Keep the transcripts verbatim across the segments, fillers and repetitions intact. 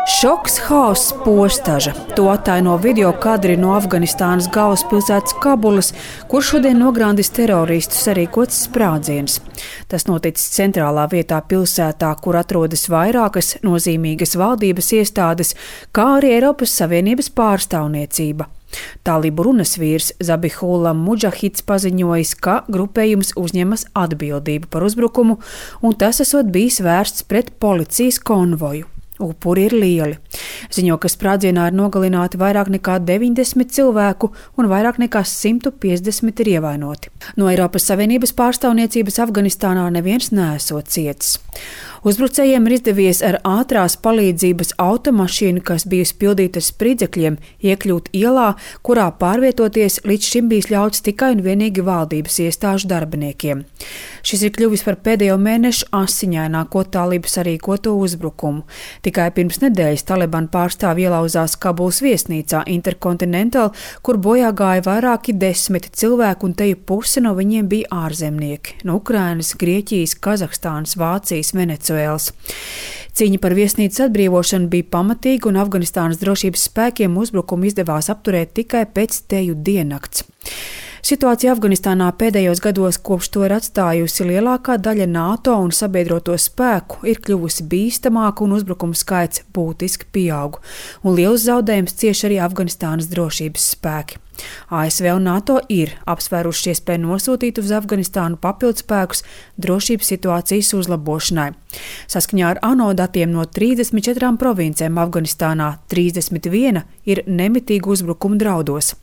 Šoks, haoss, postaža. To attaino video kadri no Afganistānas galvaspilsētas Kabulas, kur šodien nograndis teroristu sarīkots sprādziens. Tas noticis centrālā vietā pilsētā, kur atrodas vairākas nozīmīgas valdības iestādes, kā arī Eiropas Savienības pārstāvniecība. Talibu runas vīrs Zabihullah Mudžahids paziņojis, ka grupējums uzņemas atbildību par uzbrukumu, un tas esot bijis vērsts pret policijas konvoju. Upuri ir lieli. Ziņo, ka sprādzienā ir nogalināti vairāk nekā deviņdesmit cilvēku un vairāk nekā simt piecdesmit ir ievainoti. No Eiropas Savienības pārstāvniecības Afganistānā neviens neesot cietis. Uzbrucējiem ir izdevies ar ātrās palīdzības automašīnu, kas bijusi pildīta ar spridzekļiem, iekļūt ielā, kurā pārvietoties līdz šim bijis ļauts tikai un vienīgi valdības iestāžu darbiniekiem. Šis ir kļuvis par pēdējo mēnešu asiņaināko talibu sarīkoto uzbrukumu. Tikai pirms nedēļas Taliban pārstāvji ielauzās Kabulas viesnīcā Intercontinental, kur bojā gāja vairāki desmiti cilvēku, un teju puse no viņiem bija ārzemnieki – no Ukrainas, Grieķijas, Kazahstānas, Vācijas, Venecuēlas. Cīņa par viesnīcas atbrīvošanu bija pamatīga, un Afganistānas drošības spēkiem uzbrukumu izdevās apturēt tikai pēc teju diennakts. Situācija Afganistānā pēdējos gados, kopš to ir atstājusi lielākā daļa NATO un sabiedroto spēku, ir kļuvusi bīstamāka un uzbrukumu skaits būtiski pieaug, un liels zaudējums cieš arī Afganistānas drošības spēki. A S V un NATO ir apsvēruši iespēju nosūtīt uz Afganistānu papildspēkus drošības situācijas uzlabošanai. Saskaņā ar ANO datiem no trīsdesmit četrām provincēm Afganistānā trīsdesmit viena ir nemitīgi uzbrukumu draudos.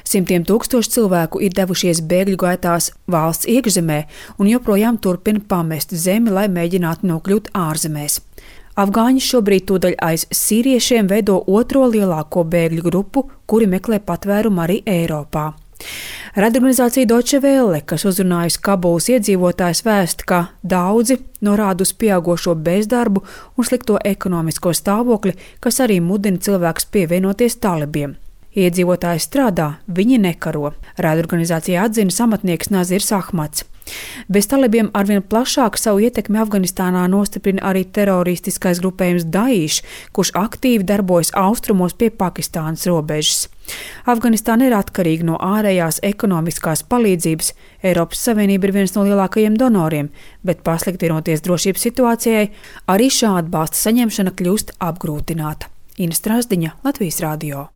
Simtiem tūkstoši cilvēku ir devušies bēgļu gaitās valsts iekšzemē un joprojām turpina pamest zemi, lai mēģinātu nokļūt ārzemēs. Afgāņi šobrīd tūdaļ aiz sīriešiem veido otro lielāko bēgļu grupu, kuri meklē patvērumu arī Eiropā. Raidorganizācija Deutsche Welle, kas uzrunājusi Kabulas iedzīvotājus, vēsta, ka daudzi norāda uz pieaugošo bezdarbu un slikto ekonomisko stāvokli, kas arī mudina cilvēkus pievienoties talibiem. Iedzīvotāji strādā, viņi nekaro. Raidorganizācijā atzīmes amatnieks Nazirs Ahmads. Bez talibiem arvien plašāk savu ietekmi Afganistānā nostiprina arī teroristiskais grupējums Daesh, kurš aktīvi darbojas austrumos pie Pakistānas robežas. Afganistāna ir atkarīga no ārējās ekonomiskās palīdzības. Eiropas Savienība ir viens no lielākajiem donoriem, bet pasliktinoties drošības situācijai, arī šā atbalsta saņemšana kļūst apgrūtināta. Ina Strasdiņa, Latvijas radio.